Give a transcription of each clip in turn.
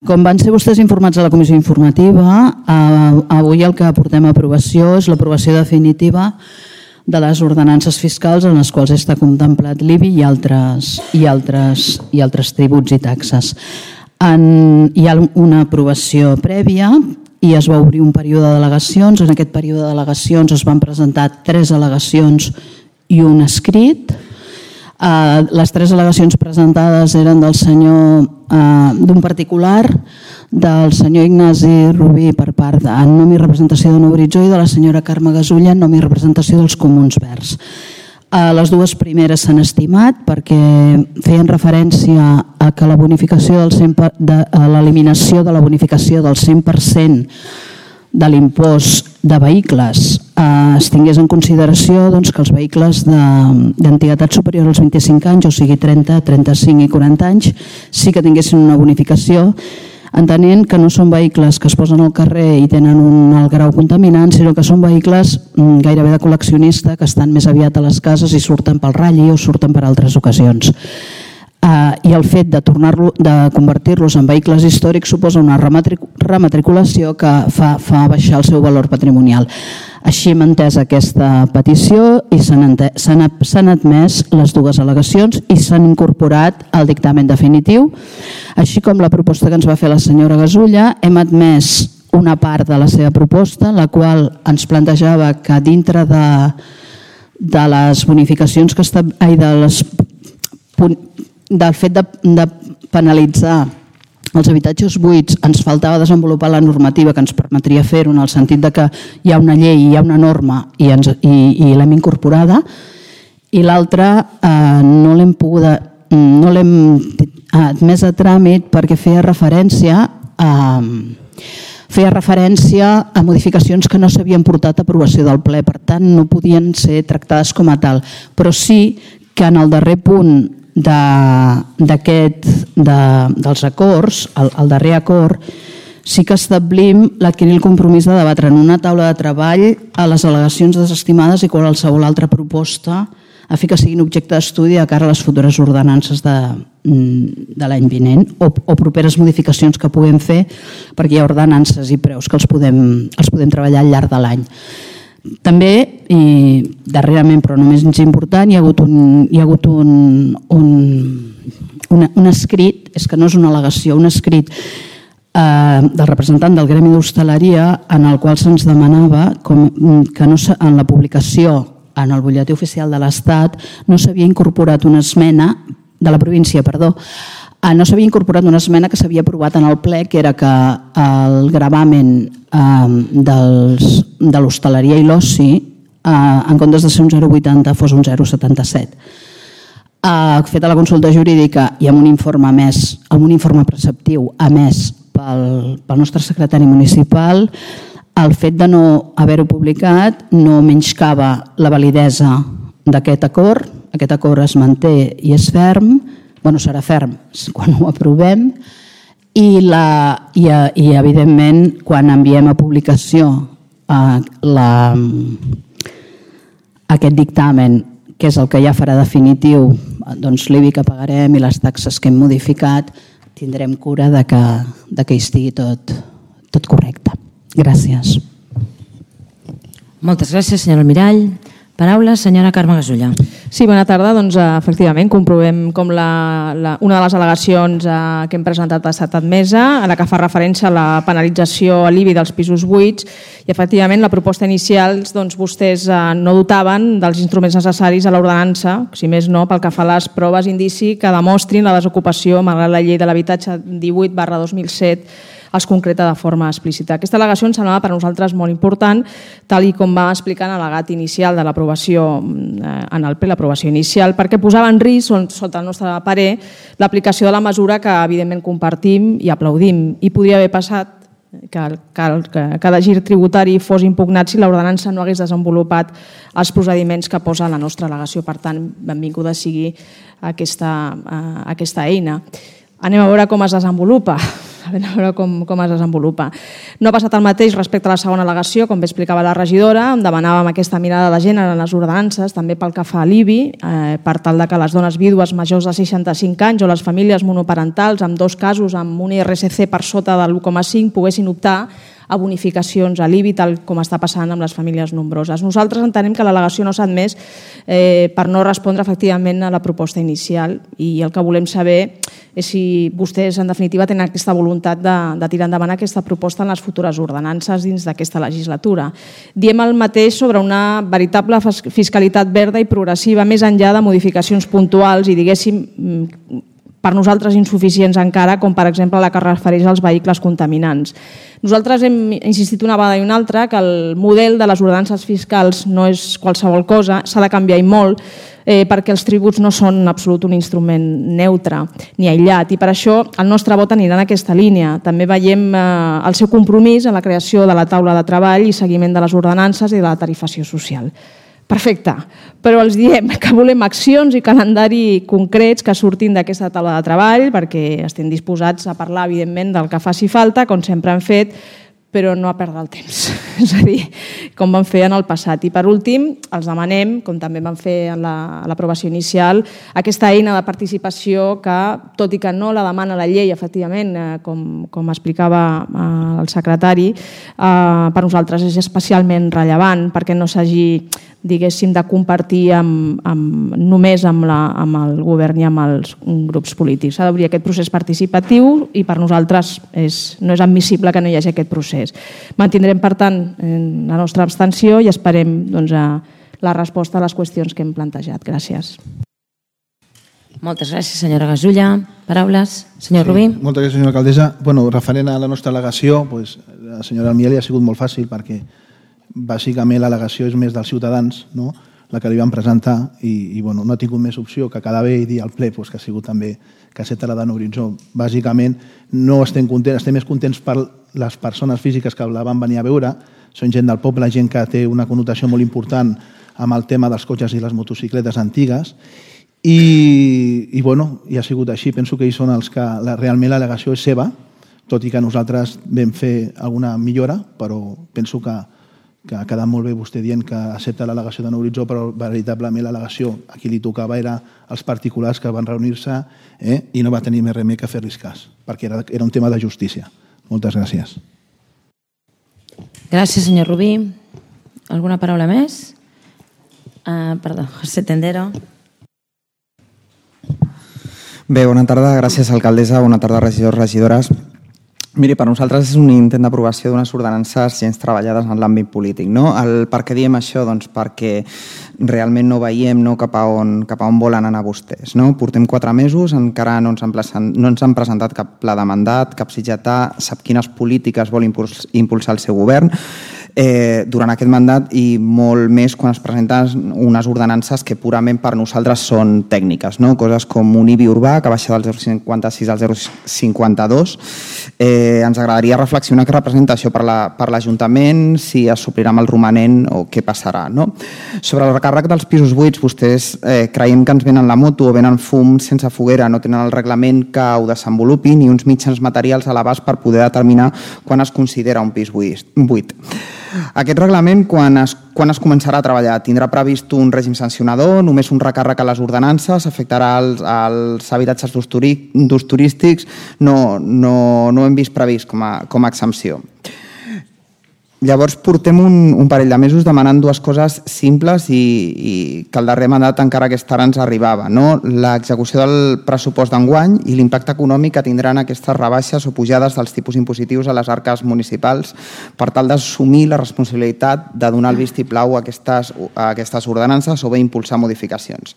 Com van ser vostès informats a la comissió informativa, avui el que portem a aprovació és l'aprovació definitiva de les ordenances fiscals en les quals està contemplat l'IBI i altres tributs i taxes. Hi ha una aprovació prèvia i es va obrir un període d'al·legacions. En aquest període d'al·legacions es van presentar 3 al·legacions i un escrit. Les 3 al·legacions presentades eren d'un particular, del senyor Ignasi Rubí per part en nom i representació de Nou Horitzó i de la senyora Carme Gasulla en nom i representació dels Comuns Verds. Les 2 primeres s'han estimat perquè feien referència a que la bonificació l'eliminació de la bonificació del 100% de l'impost de vehicles es tingués en consideració que els vehicles d'antiguitat superior als 25 anys, o sigui 30, 35 i 40 anys, sí que tinguessin una bonificació, entenent que no són vehicles que es posen al carrer i tenen un alt grau contaminant, sinó que són vehicles gairebé de col·leccionista que estan més aviat a les cases i surten pel ratlli o surten per altres ocasions. I el fet de convertir-los en vehicles històrics suposa una rematriculació que fa baixar el seu valor patrimonial. Així hem entès aquesta petició i s'han admès les 2 al·legacions i s'han incorporat al dictamen definitiu. Així com la proposta que ens va fer la senyora Gasulla, hem admès una part de la seva proposta, la qual ens plantejava que dintre de les bonificacions del fet de penalitzar els habitatges buits ens faltava desenvolupar la normativa que ens permetria fer-ho, en el sentit que hi ha una llei, hi ha una norma i l'hem incorporada, i l'altra no l'hem admès a tràmit perquè feia referència a modificacions que no s'havien portat a aprovació del ple, per tant no podien ser tractades com a tal, però sí que en el darrer punt dels acords, el darrer acord, sí que establim l'adquirir el compromís de debatre en una taula de treball a les al·legacions desestimades i qualsevol altra proposta a fi que siguin objecte d'estudi de cara a les futures ordenances de l'any vinent o properes modificacions que puguem fer, perquè hi ha ordenances i preus que els podem treballar al llarg de l'any. També, i darrerament però no menys important, hi ha hagut un escrit, és que no és una al·legació, un escrit del representant del Gremi d'Hostaleria en el qual se'ns demanava que en la publicació en el butlletí oficial de l'Estat no s'havia incorporat una esmena de la província, no s'havia incorporat una esmena que s'havia aprovat en el ple, que era que el gravamen de l'hostaleria i l'oci, en comptes de ser un 0,80 fos un 0,77. Feta la consulta jurídica i amb un informe preceptiu emès pel nostre secretari municipal, el fet de no haver-ho publicat no menyscava la validesa d'aquest acord. Aquest acord es manté i és ferm, serà ferm quan ho aprovem, i evidentment quan enviem a publicació aquest dictamen, que és el que ja farà definitiu l'IBI que pagarem i les taxes que hem modificat, tindrem cura que hi estigui tot correcte. Gràcies. Moltes gràcies, senyora Almirall. Paraula, senyora Carme Gasulla. Sí, bona tarda. Efectivament, comprovem com una de les al·legacions que hem presentat ha estat admesa, a la que fa referència a la penalització a l'IBI dels pisos buits, i efectivament la proposta inicial vostès no dotaven dels instruments necessaris a l'ordenança, si més no, pel que fa a les proves indici que demostrin la desocupació, malgrat la llei de l'habitatge 18/2007 els concreta de forma explícita. Aquesta al·legació ens semblava per a nosaltres molt important, tal com va explicar en l'al·legat inicial de l'aprovació en el ple, l'aprovació inicial, perquè posava en risc, sota el nostre parer, l'aplicació de la mesura que evidentment compartim i aplaudim. I podria haver passat que cada gir tributari fos impugnat si l'ordenança no hagués desenvolupat els procediments que posa la nostra al·legació. Per tant, benvinguda sigui aquesta eina. Anem a veure com es desenvolupa. a veure com es desenvolupa. No ha passat el mateix respecte a la segona al·legació, com bé explicava la regidora, on demanàvem aquesta mirada de gènere en les ordenances, també pel que fa a l'IBI, per tal que les dones vídues majors de 65 anys o les famílies monoparentals, en 2 casos amb un IRSC per sota de l'1,5, poguessin optar a bonificacions a l'IBI, tal com està passant amb les famílies nombroses. Nosaltres entenem que l'al·legació no s'ha admès per no respondre efectivament a la proposta inicial i el que volem saber és si vostès en definitiva tenen aquesta voluntat de tirar endavant aquesta proposta en les futures ordenances dins d'aquesta legislatura. Diem el mateix sobre una veritable fiscalitat verda i progressiva més enllà de modificacions puntuals i diguéssim per nosaltres insuficients encara, com per exemple la que es refereix als vehicles contaminants. Nosaltres hem insistit una vegada i una altra que el model de les ordenances fiscals no és qualsevol cosa, s'ha de canviar i molt, perquè els tributs no són en absolut un instrument neutre ni aïllat i per això el nostre vot anirà en aquesta línia. També veiem el seu compromís en la creació de la taula de treball i seguiment de les ordenances i de la tarifació social. Perfecte, però els diem que volem accions i calendari concrets que surtin d'aquesta taula de treball perquè estem disposats a parlar, evidentment, del que faci falta, com sempre hem fet, però no a perdre el temps, és a dir, com vam fer en el passat. I per últim, els demanem, com també vam fer en l'aprovació inicial, aquesta eina de participació que, tot i que no la demana la llei, efectivament, com explicava el secretari, per nosaltres és especialment rellevant perquè no s'hagi diguéssim, de compartir només amb el govern i amb els grups polítics. S'ha d'obrir aquest procés participatiu i per nosaltres no és admissible que no hi hagi aquest procés. Mantindrem, per tant, la nostra abstenció i esperem la resposta a les qüestions que hem plantejat. Gràcies. Moltes gràcies, senyora Gasulla. Paraules, senyor Rubí. Moltes gràcies, senyora alcaldessa. Referent a la nostra al·legació, la senyora Almiel ha sigut molt fàcil perquè bàsicament l'al·legació és més dels ciutadans, la que li van presentar i no ha tingut més opció que quedar bé i dir al ple que ha sigut també que accepta la d'en Horitzó. Bàsicament no estem contents, estem més contents per les persones físiques que la van venir a veure, són gent del poble, gent que té una connotació molt important amb el tema dels cotxes i les motocicletes antigues i ha sigut així. Penso que ells són els que realment l'al·legació és seva, tot i que nosaltres vam fer alguna millora, però penso que ha quedat molt bé vostè dient que accepta l'al·legació d'en Horitzó, però veritablement l'al·legació a qui li tocava era els particulars que van reunir-se i no va tenir més remei que fer-los cas, perquè era un tema de justícia. Moltes gràcies. Gràcies, senyor Rubí. Alguna paraula més? Perdó, José Tendero. Bé, bona tarda. Gràcies, alcaldessa. Bona tarda, regidors, regidores. Miri, per nosaltres és un intent d'aprovació d'unes ordenances gens treballades en l'àmbit polític. Per què diem això? Doncs perquè realment no veiem cap a on volen anar vostès. Portem 4 mesos, encara no ens han presentat cap pla de mandat, cap sitgetà, sap quines polítiques vol impulsar el seu govern durant aquest mandat i molt més quan es presenten unes ordenances que purament per nosaltres són tècniques, coses com un IBI urbà que baixa del 0,56 al 0,52. Ens agradaria reflexionar què representa això per l'Ajuntament, si es suplirà amb el romanent o què passarà. Sobre el recàrrec dels pisos buits, vostès creiem que ens venen la moto o venen fum sense foguera, no tenen el reglament que ho desenvolupi ni uns mitjans materials a l'abast per poder determinar quan es considera un pis buit. Aquest reglament, quan es començarà a treballar? Tindrà previst un règim sancionador, només un recàrrec a les ordenances, afectarà els habitatges d'ús turístics? No hem vist previst com a exempció. Llavors portem un parell de mesos demanant 2 coses simples i que el darrer mandat encara aquesta hora ens arribava. L'execució del pressupost d'enguany i l'impacte econòmic que tindran aquestes rebaixes o pujades dels tipus impositius a les arques municipals per tal d'assumir la responsabilitat de donar el vistiplau a aquestes ordenances o bé impulsar modificacions.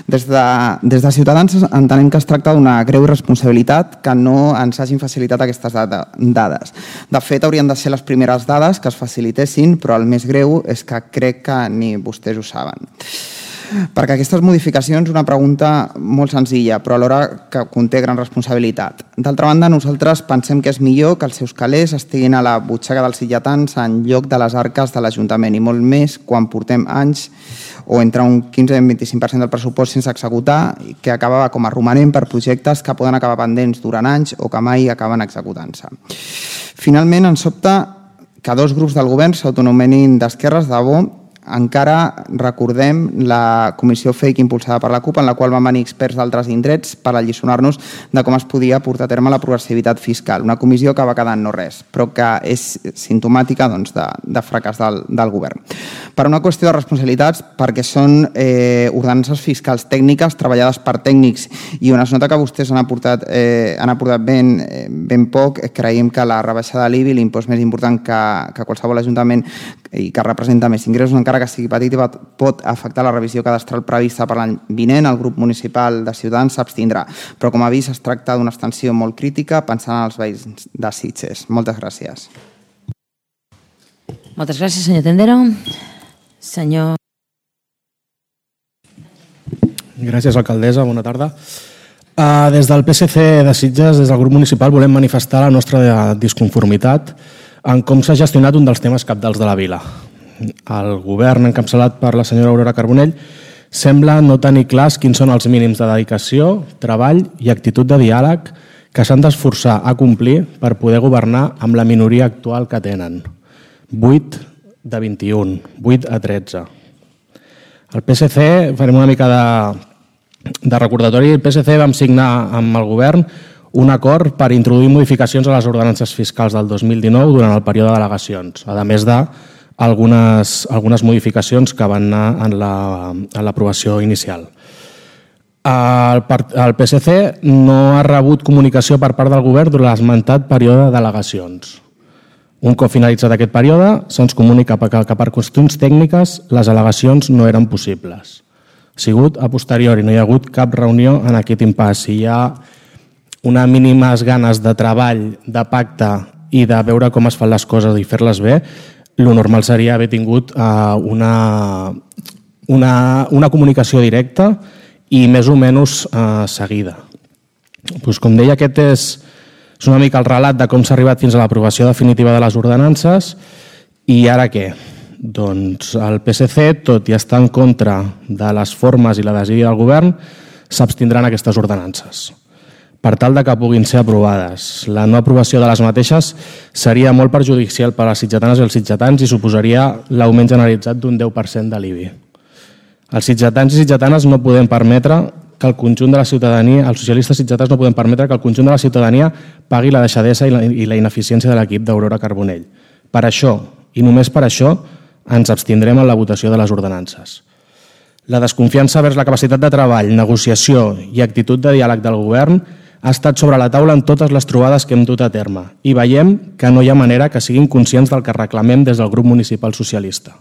Des de Ciutadans entenem que es tracta d'una greu irresponsabilitat que no ens hagin facilitat aquestes dades. De fet, haurien de ser les primeres dades que es facilitessin, però el més greu és que crec que ni vostès ho saben. Perquè aquestes modificacions, una pregunta molt senzilla, però alhora que conté gran responsabilitat. D'altra banda, nosaltres pensem que és millor que els seus calés estiguin a la butxaca dels sitgetans en lloc de les arques de l'Ajuntament, i molt més quan portem anys o entre un 15 i un 25% del pressupost sense executar, que acaba com a romanent per projectes que poden acabar pendents durant anys o que mai acaben executant-se. Finalment, ens sobta que dos grups del govern s'autonomenin d'esquerres de bo. Encara recordem la comissió fake impulsada per la CUP, en la qual van venir experts d'altres indrets per alliçonar-nos de com es podia portar a terme la progressivitat fiscal. Una comissió que va quedar en no res, però que és simptomàtica de fracàs del govern. Per una qüestió de responsabilitats, perquè són ordenances fiscals tècniques treballades per tècnics i on es nota que vostès han aportat ben poc, creiem que la rebaixa de l'IBI, l'impost més important que qualsevol ajuntament i que representa més ingressos, encara que sigui petit, pot afectar la revisió cadastral prevista per l'any vinent. El grup municipal de Ciutadans s'abstindrà. Però, com a avís, es tracta d'una extensió molt crítica pensant en els veïns de Sitges. Moltes gràcies. Moltes gràcies, senyor Tendero. Senyor... Gràcies, alcaldessa. Bona tarda. Des del PSC de Sitges, des del grup municipal, volem manifestar la nostra disconformitat en com s'ha gestionat un dels temes cabdals de la vila. El govern, encapçalat per la senyora Aurora Carbonell, sembla no tenir clars quins són els mínims de dedicació, treball i actitud de diàleg que s'han d'esforçar a complir per poder governar amb la minoria actual que tenen. 8 de 21, 8 a 13. El PSC, farem una mica de recordatori, el PSC vam signar amb el govern un acord per introduir modificacions a les ordenances fiscals del 2019 durant el període de delegacions, a més d'algunes modificacions que van anar en l'aprovació inicial. El PSC no ha rebut comunicació per part del govern durant l'esmentat període de delegacions. Un cop finalitzat aquest període, se'ns comunica que per qüestions tècniques les al·legacions no eren possibles. Ha sigut a posteriori, no hi ha hagut cap reunió en aquest impàs. Si hi ha unes mínimes ganes de treball, de pacte i de veure com es fan les coses i fer-les bé, el normal seria haver tingut una comunicació directa i més o menys seguida. Com deia, aquest és una mica el relat de com s'ha arribat fins a l'aprovació definitiva de les ordenances. I ara què? Doncs el PSC, tot i estar en contra de les formes i la desídia del govern, s'abstindran aquestes ordenances per tal que puguin ser aprovades. La no aprovació de les mateixes seria molt perjudicial per a les sitgetanes i els sitgetans i suposaria l'augment generalitzat d'un 10% de l'IBI. Els sitgetans i sitgetanes no podem permetre que el conjunt de la ciutadania, els socialistes sitgetans no podem permetre que el conjunt de la ciutadania pagui la deixadesa i la ineficiència de l'equip d'Aurora Carbonell. Per això, i només per això, ens abstindrem en la votació de les ordenances. La desconfiança vers la capacitat de treball, negociació i actitud de diàleg del govern ha estat sobre la taula en totes les trobades que hem dut a terme i veiem que no hi ha manera que siguin conscients del que reclamem des del grup municipal socialista.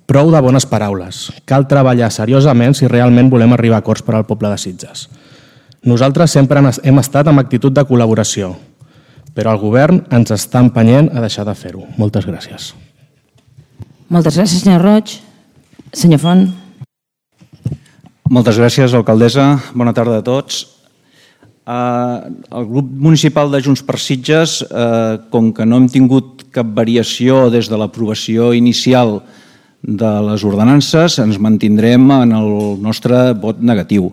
Prou de bones paraules. Cal treballar seriosament si realment volem arribar a acords per al poble de Sitges. Nosaltres sempre hem estat amb actitud de col·laboració, però el govern ens està empenyent a deixar de fer-ho. Moltes gràcies. Moltes gràcies, senyor Roig. Senyor Font. Moltes gràcies, alcaldessa. Bona tarda a tots. El grup municipal de Junts per Sitges, com que no hem tingut cap variació des de l'aprovació inicial de les ordenances, ens mantindrem en el nostre vot negatiu.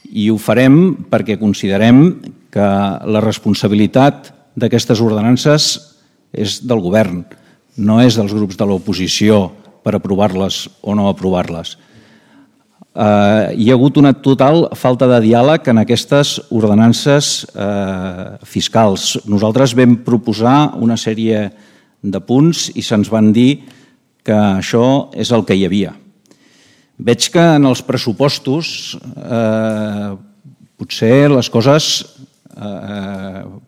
I ho farem perquè considerem que la responsabilitat d'aquestes ordenances és del govern, no és dels grups de l'oposició per aprovar-les o no aprovar-les. Hi ha hagut una total falta de diàleg en aquestes ordenances fiscals. Nosaltres vam proposar una sèrie de punts i se'ns van dir que això és el que hi havia. Veig que en els pressupostos potser les coses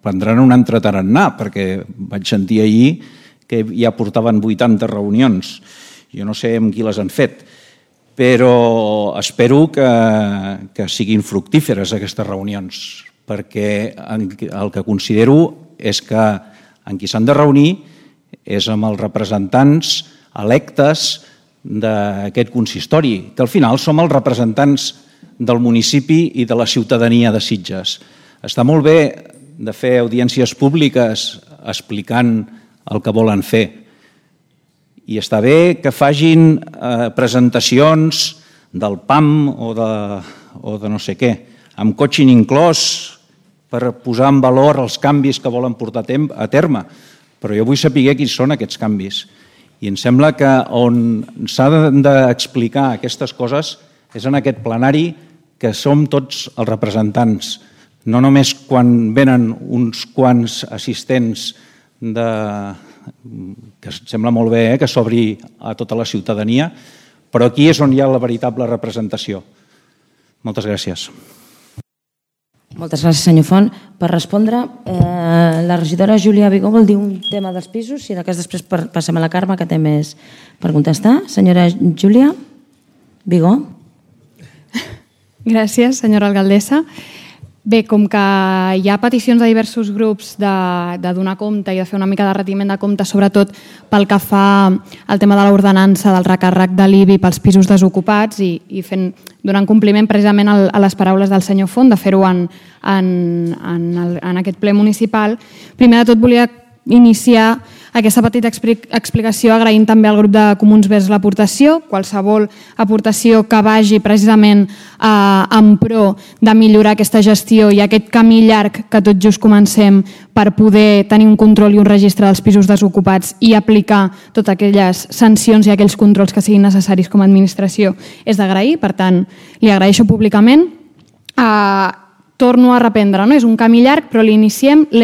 prendran un altre tarannà, perquè vaig sentir ahir que ja portaven 80 reunions. Jo no sé amb qui les han fet, però espero que siguin fructíferes aquestes reunions, perquè el que considero és que amb qui s'han de reunir és amb els representants electes d'aquest consistori, que al final som els representants del municipi i de la ciutadania de Sitges. Està molt bé de fer audiències públiques explicant el que volen fer. I està bé que facin presentacions del PAM o de no sé què, amb coaching inclòs per posar en valor els canvis que volen portar a terme. Però jo vull saber quins són aquests canvis. I em sembla que on s'ha d'explicar aquestes coses és en aquest plenari que som tots els representants, no només quan venen uns quants assistents que sembla molt bé que s'obri a tota la ciutadania, però aquí és on hi ha la veritable representació. Moltes gràcies. Moltes gràcies, senyor Font. Per respondre, la regidora Júlia Vigó vol dir un tema dels pisos, si de cas després passem a la Carme, que té més per contestar. Senyora Júlia Vigó. Gràcies, senyora alcaldessa. Bé, com que hi ha peticions de diversos grups de donar compte i de fer una mica de retiment de compte, sobretot pel que fa al tema de l'ordenança del recàrrec de l'IBI pels pisos desocupats i donant compliment precisament a les paraules del senyor Font, de fer-ho en aquest ple municipal, primer de tot volia iniciar aquesta petita explicació agraint també al grup de Comuns vers l'aportació, qualsevol aportació que vagi precisament en pro de millorar aquesta gestió i aquest camí llarg que tot just comencem per poder tenir un control i un registre dels pisos desocupats i aplicar totes aquelles sancions i aquells controls que siguin necessaris com a administració és d'agrair, per tant li agraeixo públicament. Torno a reprendre, no? És un camí llarg, però l'hem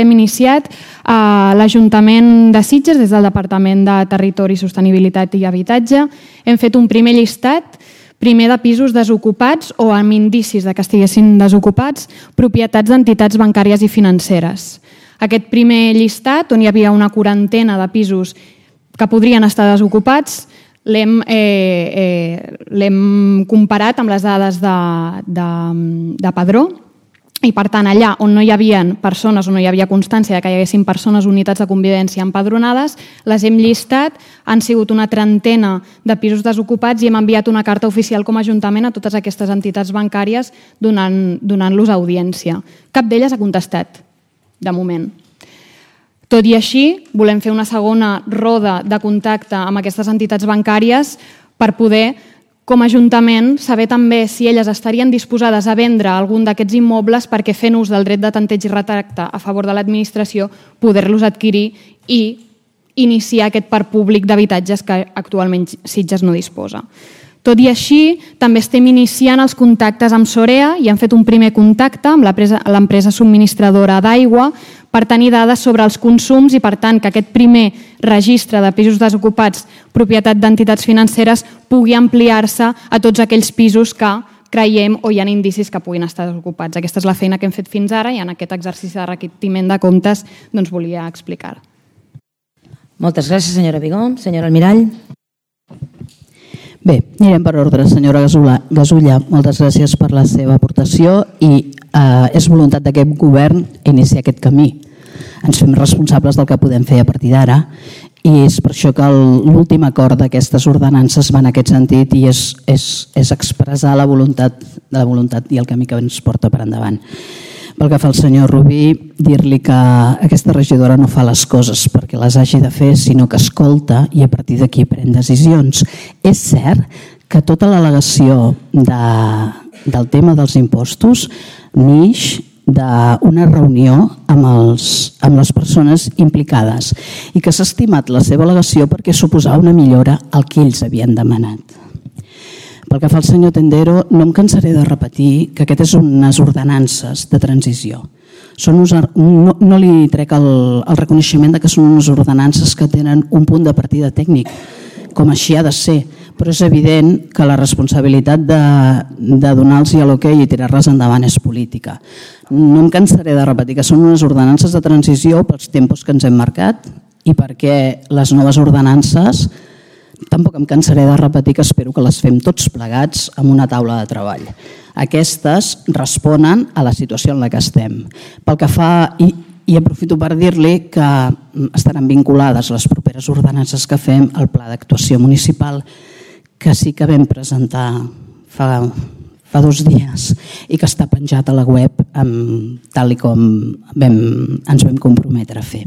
iniciat a l'Ajuntament de Sitges des del Departament de Territori, Sostenibilitat i Habitatge. Hem fet un primer llistat, primer de pisos desocupats o amb indicis que estiguessin desocupats, propietats d'entitats bancàries i financeres. Aquest primer llistat, on hi havia una quarantena de pisos que podrien estar desocupats, l'hem comparat amb les dades de Padró, i per tant allà on no hi havia persones o no hi havia constància que hi haguessin persones o unitats de convivència empadronades, les hem llistat, han sigut una trentena de pisos desocupats i hem enviat una carta oficial com a Ajuntament a totes aquestes entitats bancàries donant-los audiència. Cap d'elles ha contestat, de moment. Tot i així, volem fer una segona roda de contacte amb aquestes entitats bancàries per poder, com a Ajuntament, saber també si elles estarien disposades a vendre algun d'aquests immobles perquè fent ús del dret de tanteig i retracte a favor de l'administració poder-los adquirir i iniciar aquest parc públic d'habitatges que actualment Sitges no disposa. Tot i així, també estem iniciant els contactes amb Sorea i hem fet un primer contacte amb l'empresa subministradora d'aigua per tenir dades sobre els consums i, per tant, que aquest primer registre de pisos desocupats propietat d'entitats financeres pugui ampliar-se a tots aquells pisos que creiem o hi ha indicis que puguin estar desocupats. Aquesta és la feina que hem fet fins ara i en aquest exercici de retiment de comptes volia explicar. Moltes gràcies, senyora Vigó. Senyora Almirall. Bé, anirem per ordre. Senyora Gasulla, moltes gràcies per la seva aportació i és voluntat d'aquest govern iniciar aquest camí. Ens fem responsables del que podem fer a partir d'ara i és per això que l'últim acord d'aquestes ordenances va en aquest sentit i és expressar la voluntat i el camí que ens porta per endavant. Pel que fa al senyor Rubí, dir-li que aquesta regidora no fa les coses perquè les hagi de fer, sinó que escolta i a partir d'aquí pren decisions. És cert que tota l'al·legació del tema dels impostos neix d'una reunió amb les persones implicades i que s'ha estimat la seva al·legació perquè suposava una millora al que ells havien demanat. Pel que fa al senyor Tendero, no em cansaré de repetir que aquestes són unes ordenances de transició. No li trec el reconeixement que són unes ordenances que tenen un punt de partida tècnic, com així ha de ser, però és evident que la responsabilitat de donar-los l'ok i tirar-les endavant és política. No em cansaré de repetir que són unes ordenances de transició pels tempos que ens hem marcat i perquè les noves ordenances tampoc em cansaré de repetir que espero que les fem tots plegats amb una taula de treball. Aquestes responen a la situació en la que estem. Pel que fa, i aprofito per dir-li que estaran vinculades les properes ordenances que fem al pla d'actuació municipal que sí que vam presentar fa 2 dies i que està penjat a la web tal com ens vam comprometre a fer.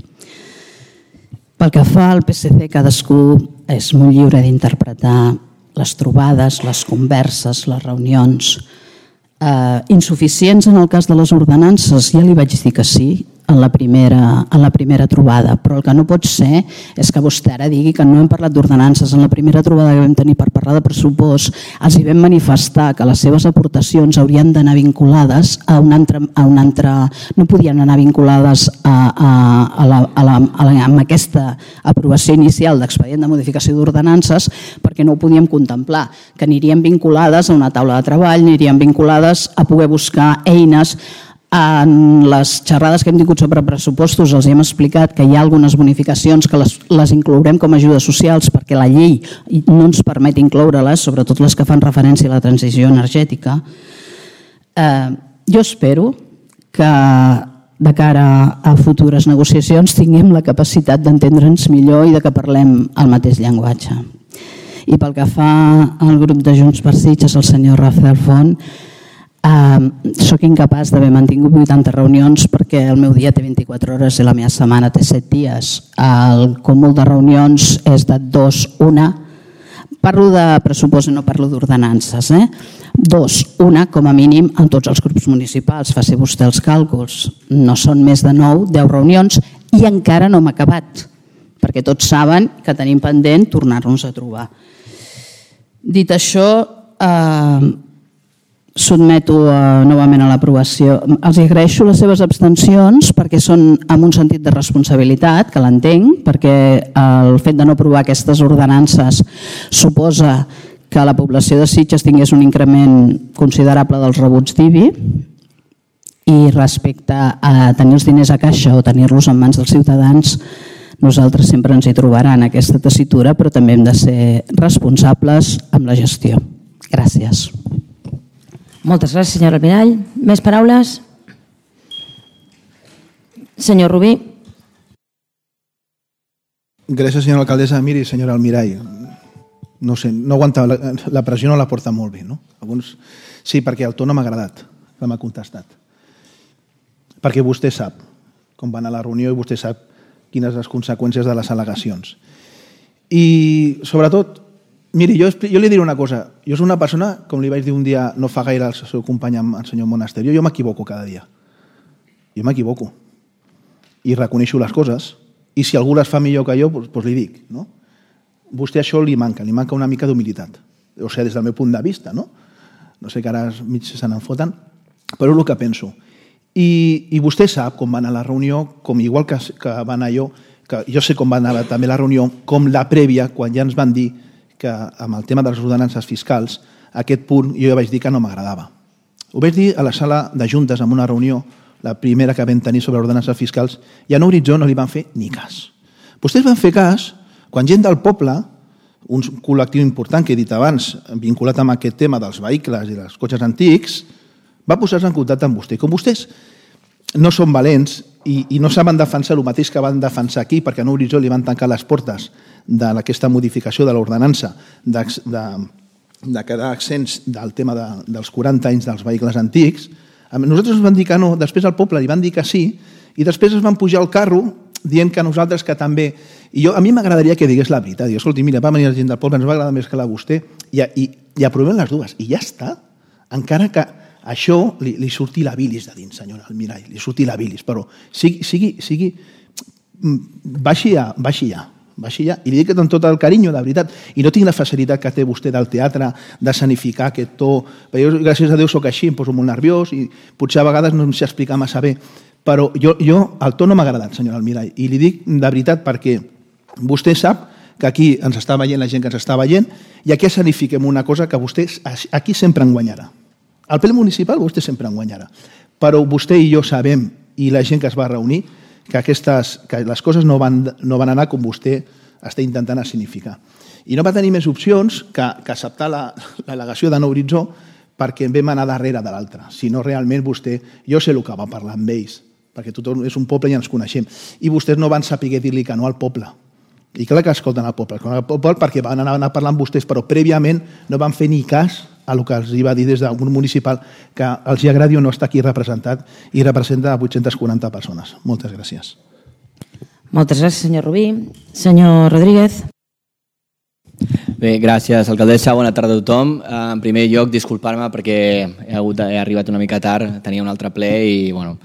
Pel que fa al PSC, cadascú és molt lliure d'interpretar les trobades, les converses, les reunions. Insuficients en el cas de les ordenances, ja li vaig dir que sí en la primera trobada, però el que no pot ser és que vostè ara digui que no hem parlat d'ordenances. En la primera trobada que vam tenir per parlar de pressupost els hi vam manifestar que les seves aportacions haurien d'anar vinculades a un altre, no podien anar vinculades amb aquesta aprovació inicial d'expedient de modificació d'ordenances, perquè no ho podíem contemplar, que anirien vinculades a una taula de treball, anirien vinculades a poder buscar eines. En les xerrades que hem tingut sobre pressupostos els hem explicat que hi ha algunes bonificacions que les inclourem com a ajudes socials perquè la llei no ens permet incloure-les, sobretot les que fan referència a la transició energètica. Jo espero que de cara a futures negociacions tinguem la capacitat d'entendre'ns millor i de que parlem el mateix llenguatge. I pel que fa al grup de Junts per Sitges, el senyor Rafael Font, soc incapaç d'haver mantingut 80 reunions perquè el meu dia té 24 hores i la meva setmana té 7 dies. El cúmul de reunions és de 2, 1. Parlo de pressupost i no parlo d'ordenances. 2, 1 com a mínim en tots els grups municipals. Faci vostè els càlculs. No són més de 9, 10 reunions i encara no hem acabat, perquè tots saben que tenim pendent tornar-nos a trobar. Dit això, sotmeto novament a l'aprovació. Els agraeixo les seves abstencions perquè són amb un sentit de responsabilitat, que l'entenc, perquè el fet de no aprovar aquestes ordenances suposa que la població de Sitges tingués un increment considerable dels rebuts d'IBI i respecte a tenir els diners a caixa o tenir-los en mans dels ciutadans, nosaltres sempre ens hi trobaran en aquesta tessitura, però també hem de ser responsables amb la gestió. Gràcies. Moltes gràcies, senyora Almirall. Més paraules? Senyor Rubí. Gràcies, senyora alcaldessa. Miri, senyora Almirall, no sé, no aguanta, la pressió no la porta molt bé, no? Alguns, sí, perquè el to no m'ha agradat, que m'ha contestat. Perquè vostè sap com va anar la reunió i vostè sap quines les conseqüències de les al·legacions. I, sobretot, miri, jo li diré una cosa. Jo soc una persona, com li vaig dir un dia, no fa gaire al seu company, el senyor Monasterio, jo m'equivoco cada dia. Jo m'equivoco. I reconeixo les coses. I si algú les fa millor que jo, doncs li dic. No? Vostè això li manca una mica d'humilitat. O sigui, des del meu punt de vista, no? No sé que ara mig se n'en foten, però és el que penso. I vostè sap com va anar la reunió, com igual que va anar jo sé com va anar també la reunió, com la prèvia, quan ja ens van dir que amb el tema de les ordenances fiscals, aquest punt jo ja vaig dir que no m'agradava. Ho vaig dir a la sala de juntes en una reunió, la primera que vam tenir sobre ordenances fiscals, i a Horitzó no li van fer ni cas. Vostès van fer cas quan gent del poble, un col·lectiu important que he dit abans, vinculat amb aquest tema dels vehicles i dels cotxes antics, va posar-se en contacte amb vostè. Com vostès no són valents i no saben defensar el mateix que van defensar aquí, perquè a Horitzó li van tancar les portes d'aquesta modificació de l'ordenança de quedar accents del tema dels 40 anys dels vehicles antics, nosaltres ens van dir que no, després al poble li van dir que sí, i després es van pujar al carro dient que nosaltres que també... I a mi m'agradaria que digués la veritat. Escolti, mira, va venir la gent del poble, ens va agradar més que la vostè, i aprovem les dues. I ja està. Encara que això li surti la bilis de dins, senyora Almirall, li surti la bilis, però baixi ja, i li dic amb tot el carinyo, de veritat, i no tinc la facilitat que té vostè del teatre de sanificar aquest to, perquè jo, gràcies a Déu, soc així, em poso molt nerviós i potser a vegades no em sé explicar massa bé, però jo el to no m'ha agradat, senyora Almirall, i li dic de veritat perquè vostè sap que aquí ens està veient la gent que ens està veient i aquí sanifiquem una cosa que vostè aquí sempre en guanyarà. Al ple municipal vostè sempre en guanyarà, però vostè i jo sabem, i la gent que es va reunir, que les coses no van anar com vostè està intentant significar. I no va tenir més opcions que acceptar l'al·legació de Nou Horitzó perquè en vam anar darrere de l'altre. Si no, realment vostè... Jo sé el que va parlar amb ells, perquè tothom és un poble i ens coneixem. I vostès no van saber dir-li que no al poble. I clar que escolten el poble perquè van anar parlant vostès, però prèviament no van fer ni cas a el que els va dir des del grup municipal, que els agradi o no estar aquí representat, i representa 840 persones. Moltes gràcies. Moltes gràcies, senyor Rubí. Senyor Rodríguez. Bé, gràcies, alcaldessa. Bona tarda a tothom. En primer lloc, disculpar-me perquè he arribat una mica tard, tenia un altre ple i, bueno...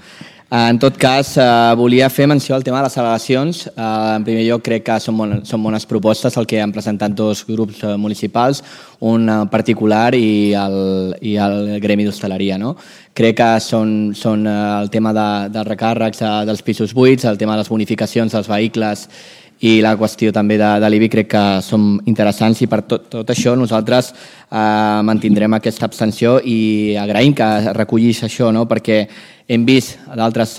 En tot cas, volia fer menció al tema de les al·legacions. En primer lloc, crec que són bones propostes el que han presentat dos grups municipals, un particular i el gremi d'hostaleria. Crec que són el tema dels recàrrecs dels pisos buits, el tema de les bonificacions dels vehicles i la qüestió també de l'IBI crec que són interessants, i per tot això nosaltres mantindrem aquesta abstenció i agraïm que recollís això, perquè hem vist a d'altres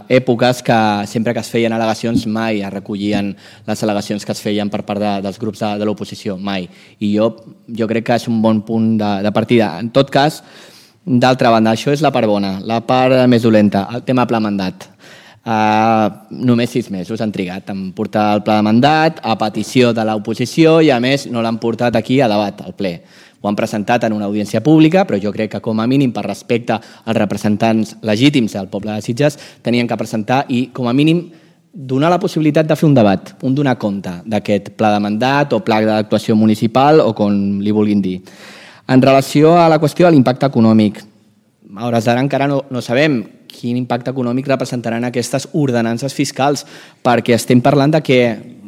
èpoques que sempre que es feien al·legacions mai es recollien les al·legacions que es feien per part dels grups de l'oposició, mai. I jo crec que és un bon punt de partida. En tot cas, d'altra banda, això és la part bona. La part més dolenta, el tema pla mandat. Només 6 mesos han trigat en portar el pla de mandat a petició de l'oposició i a més no l'han portat aquí a debat, al ple. Ho han presentat en una audiència pública, però jo crec que com a mínim per respecte als representants legítims del poble de Sitges tenien que presentar i com a mínim donar la possibilitat de fer un debat, un donar compte d'aquest pla de mandat o pla d'actuació municipal o com li vulguin dir. En relació a la qüestió de l'impacte econòmic, a hores d'ara encara no sabem quin impacte econòmic representaran aquestes ordenances fiscals, perquè estem parlant de que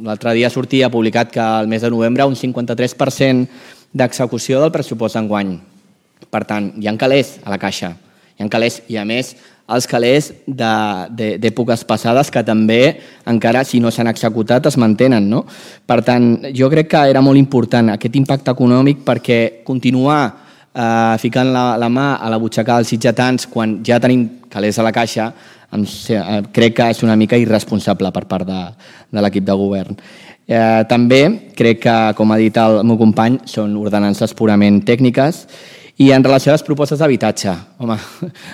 l'altre dia sortia publicat que al mes de novembre un 53% d'execució del pressupost d'enguany. Per tant, hi ha calés a la caixa, hi ha calés, i a més els calés d'èpoques passades que també encara si no s'han executat es mantenen. Per tant, jo crec que era molt important aquest impacte econòmic perquè continuar ficant la mà a la butxaca dels sitgetans quan ja tenim calés a la caixa crec que és una mica irresponsable per part de l'equip de govern. També crec que, com ha dit el meu company, són ordenances purament tècniques. I en relació a les propostes d'habitatge, home,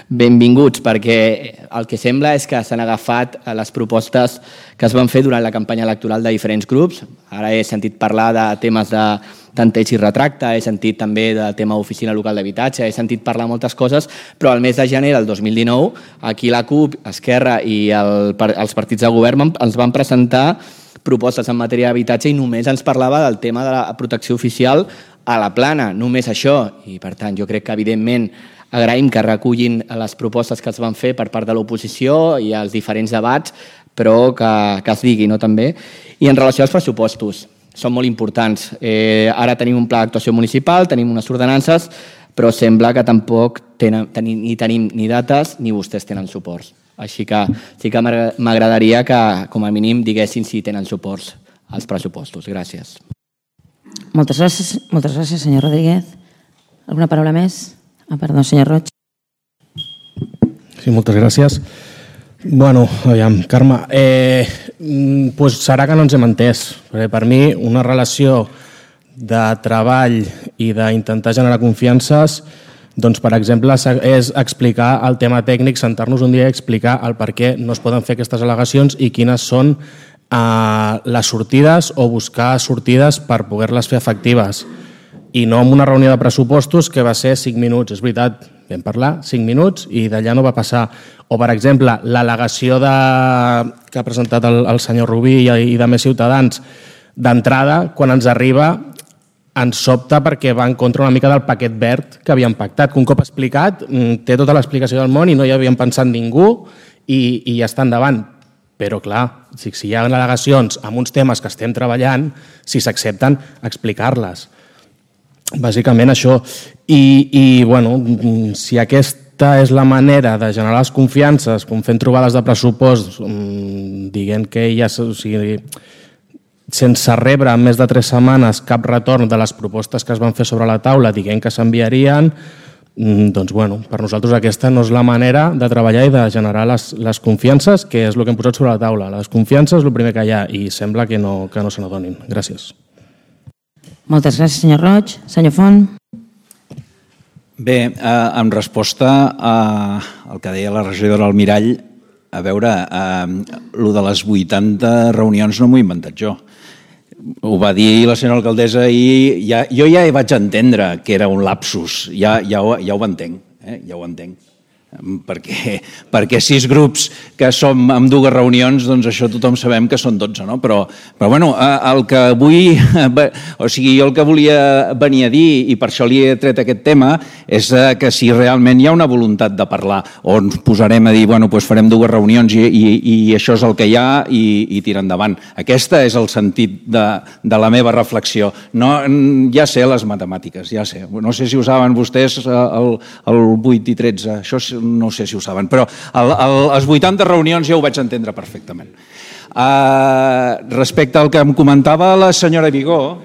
benvinguts, perquè el que sembla és que s'han agafat les propostes que es van fer durant la campanya electoral de diferents grups. Ara he sentit parlar de temes de tanteig i retracte, he sentit també del tema oficina local d'habitatge, he sentit parlar moltes coses, però al mes de gener del 2019, aquí la CUP, Esquerra i els partits de govern ens van presentar propostes en matèria d'habitatge i només ens parlava del tema de la protecció oficial a la plana, només això. I per tant, jo crec que evidentment agraïm que recullin les propostes que es van fer per part de l'oposició i els diferents debats, però que es digui també. I en relació als pressupostos, són molt importants. Ara tenim un pla d'actuació municipal, tenim unes ordenances, però sembla que tampoc ni tenim ni dates ni vostès tenen suports. Així que sí que m'agradaria que com a mínim diguessin si tenen suports als pressupostos. Gràcies. Moltes gràcies, senyor Rodríguez. Alguna paraula més? Perdó, senyor Roig. Sí, moltes gràcies. Bueno, aviam, Carme, serà que no ens hem entès. Perquè per mi una relació de treball i d'intentar generar confiances, doncs, per exemple, és explicar el tema tècnic, sentar-nos un dia i explicar el per què no es poden fer aquestes al·legacions i quines són les sortides o buscar sortides per poder-les fer efectives. I no en una reunió de pressupostos que va ser 5 minuts. És veritat, vam parlar 5 minuts i d'allà no va passar. O, per exemple, l'al·legació que ha presentat el senyor Rubí i de més ciutadans, d'entrada, quan ens arriba, ens sobta perquè va en contra una mica del paquet verd que havíem pactat, que un cop explicat té tota l'explicació del món i no hi havíem pensat ningú i ja està endavant. Però, clar, si hi ha al·legacions amb uns temes que estem treballant, si s'accepten, explicar-les. Bàsicament això. I, bueno, si aquesta és la manera de generar les confiances, com fent trobades de pressupost, dient que ja... sense rebre en més de 3 setmanes cap retorn de les propostes que es van fer sobre la taula dient que s'enviarien, doncs, bueno, per nosaltres aquesta no és la manera de treballar i de generar les confiances, que és el que hem posat sobre la taula. La desconfiança és el primer que hi ha i sembla que no se n'adonin. Gràcies. Moltes gràcies, senyor Roig. Senyor Font. Bé, en resposta al que deia la regidora Almirall, a veure, el de les 80 reunions no m'ho he inventat jo. ho va dir la senyora alcaldessa i jo ja vaig entendre que era un lapsus, ja ho entenc, ja ho entenc. Perquè 6 grups que som en 2 reunions, doncs això tothom sabem que són 12, no? Però bueno, el que vull, o sigui, jo el que volia venir a dir, i per això li he tret aquest tema, és que si realment hi ha una voluntat de parlar, o ens posarem a dir, bueno, doncs farem 2 reunions i això és el que hi ha i tirar endavant. Aquest és el sentit de la meva reflexió. Ja sé les matemàtiques, ja sé. No sé si ho saben vostès, el 8 i 13, això no sé si ho saben, però les 80 reunions ja ho vaig entendre perfectament. Respecte al que em comentava la senyora Vigó,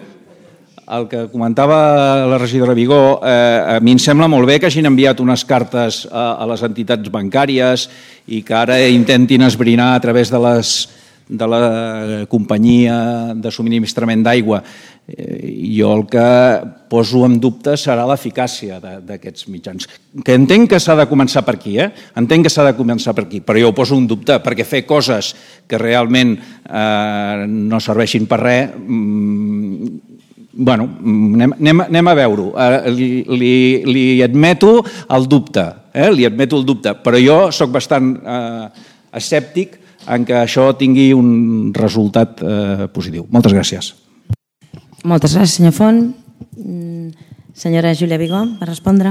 el que comentava la regidora Vigó, a mi em sembla molt bé que hagin enviat unes cartes a les entitats bancàries i que ara intentin esbrinar a través de la companyia de subministrament d'aigua. Jo el que poso en dubte serà l'eficàcia d'aquests mitjans. Que entenc que s'ha de començar per aquí, entenc que s'ha de començar per aquí, però jo ho poso en dubte perquè fer coses que realment no serveixin per res, bueno, anem a veure-ho. Li admeto el dubte, però jo soc bastant escèptic en que això tingui un resultat positiu. Moltes gràcies. Moltes gràcies, senyor Font. Senyora Júlia Vigó, per respondre.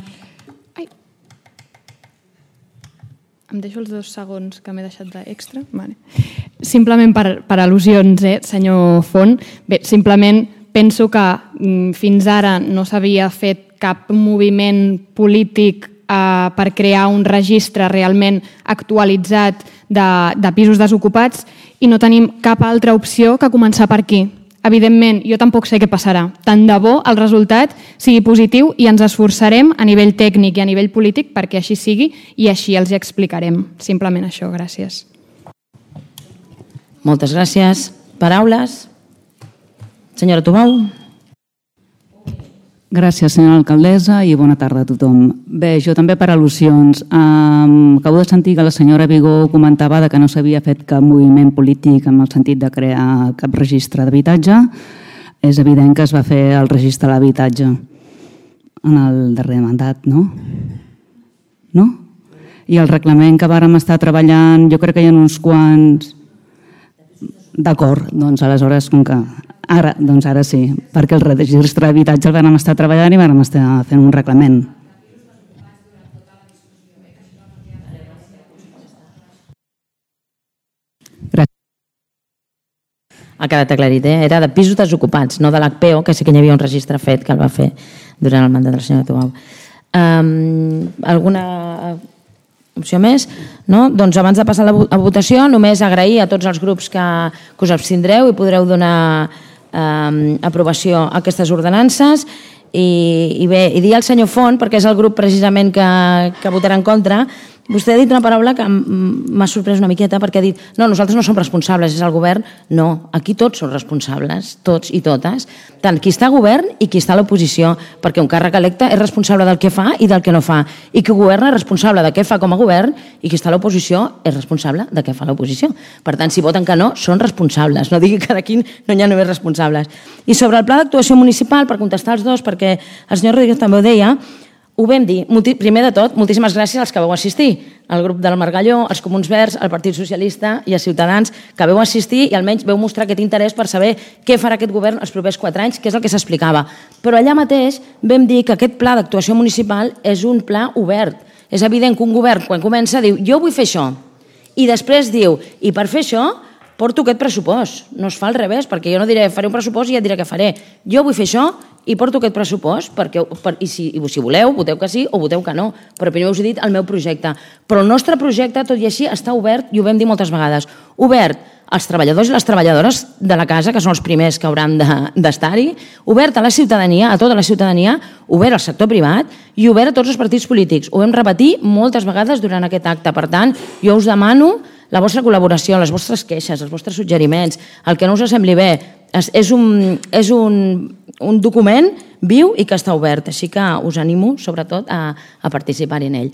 Em deixo els 2 segons que m'he deixat d'extra? Vale. Simplement per al·lusions, senyor Font. Bé, simplement penso que fins ara no s'havia fet cap moviment polític per crear un registre realment actualitzat de pisos desocupats i no tenim cap altra opció que començar per aquí. Evidentment, jo tampoc sé què passarà. Tant de bo el resultat sigui positiu i ens esforçarem a nivell tècnic i a nivell polític perquè així sigui i així els hi explicarem. Simplement això, gràcies. Moltes gràcies. Paraules? Senyora Tubau. Gràcies, senyora alcaldessa, i bona tarda a tothom. Bé, jo també per al·lusions. Acabo de sentir que la senyora Vigó comentava que no s'havia fet cap moviment polític en el sentit de crear cap registre d'habitatge. És evident que es va fer el registre de l'habitatge en el darrer mandat, no? No? I el reglament que vàrem estar treballant, jo crec que hi ha uns quants... D'acord, doncs aleshores, com que... Ara sí, perquè el registre d'habitatge el vam estar treballant i vam estar fent un reglament. Gràcies. Ha quedat aclarit, era de pisos desocupats, no de l'HPO, que sí que hi havia un registre fet que el va fer durant el mandat de la senyora Tubau. Alguna opció més? No? Doncs abans de passar a votació, només agrair a tots els grups que us abstindreu i podreu donar aprovació a aquestes ordenances i dir al senyor Font, perquè és el grup precisament que votarà en contra. Vostè ha dit una paraula que m'ha sorprès una miqueta perquè ha dit, no, nosaltres no som responsables, és el govern. No, aquí tots som responsables, tots i totes, tant qui està al govern i qui està a l'oposició, perquè un càrrec electe és responsable del que fa i del que no fa, i qui governa és responsable de què fa com a govern i qui està a l'oposició és responsable de què fa l'oposició. Per tant, si voten que no, són responsables, no digui que d'aquí no hi ha només responsables. I sobre el pla d'actuació municipal, per contestar els dos, perquè el senyor Rodríguez també ho deia, ho vam dir, primer de tot, moltíssimes gràcies als que vau assistir, al grup del Margalló, als Comuns Verds, al Partit Socialista i a Ciutadans, que vau assistir i almenys vau mostrar aquest interès per saber què farà aquest govern els propers 4 anys, que és el que s'explicava. Però allà mateix vam dir que aquest pla d'actuació municipal és un pla obert. És evident que un govern, quan comença, diu jo vull fer això, i després diu, i per fer això porto aquest pressupost. No es fa al revés, perquè jo no diré faré un pressupost i ja et diré què faré. Jo vull fer això i porto aquest pressupost, i si voleu, voteu que sí o voteu que no, però primer us he dit el meu projecte. Però el nostre projecte, tot i així, està obert, i ho vam dir moltes vegades, obert als treballadors i les treballadores de la casa, que són els primers que hauran d'estar-hi, obert a la ciutadania, a tota la ciutadania, obert al sector privat i obert a tots els partits polítics. Ho vam repetir moltes vegades durant aquest acte. Per tant, jo us demano la vostra col·laboració, les vostres queixes, els vostres suggeriments, el que no us sembli bé. És un document viu i que està obert, així que us animo, sobretot, a participar en ell.